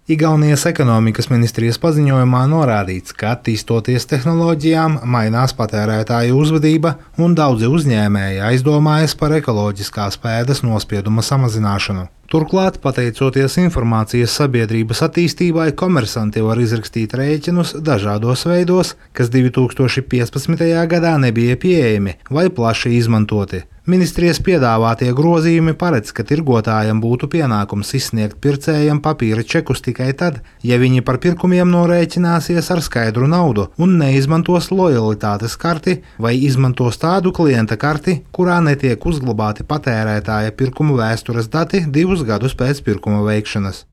Igaunijas ekonomikas ministrijas paziņojumā norādīts, ka attīstoties tehnoloģijām, mainās patērētāju uzvedība un daudzi uzņēmēji aizdomājas par ekoloģiskās pēdas nospieduma samazināšanu. Turklāt, pateicoties informācijas sabiedrības attīstībai, komersanti var izrakstīt rēķinus dažādos veidos, kas 2015. gadā nebija pieejami vai plaši izmantoti. Ministrijas piedāvātie grozījumi paredz, ka tirgotājam būtu pienākums izsniegt pircējam papīra čekus tikai tad, ja viņi par pirkumiem norēķināsies ar skaidru naudu un neizmantos lojalitātes karti vai izmantos tādu klienta karti, kurā netiek uzglabāti patērētāja pirkumu vēstures dati 2 gadus pēc pirkuma veikšanas.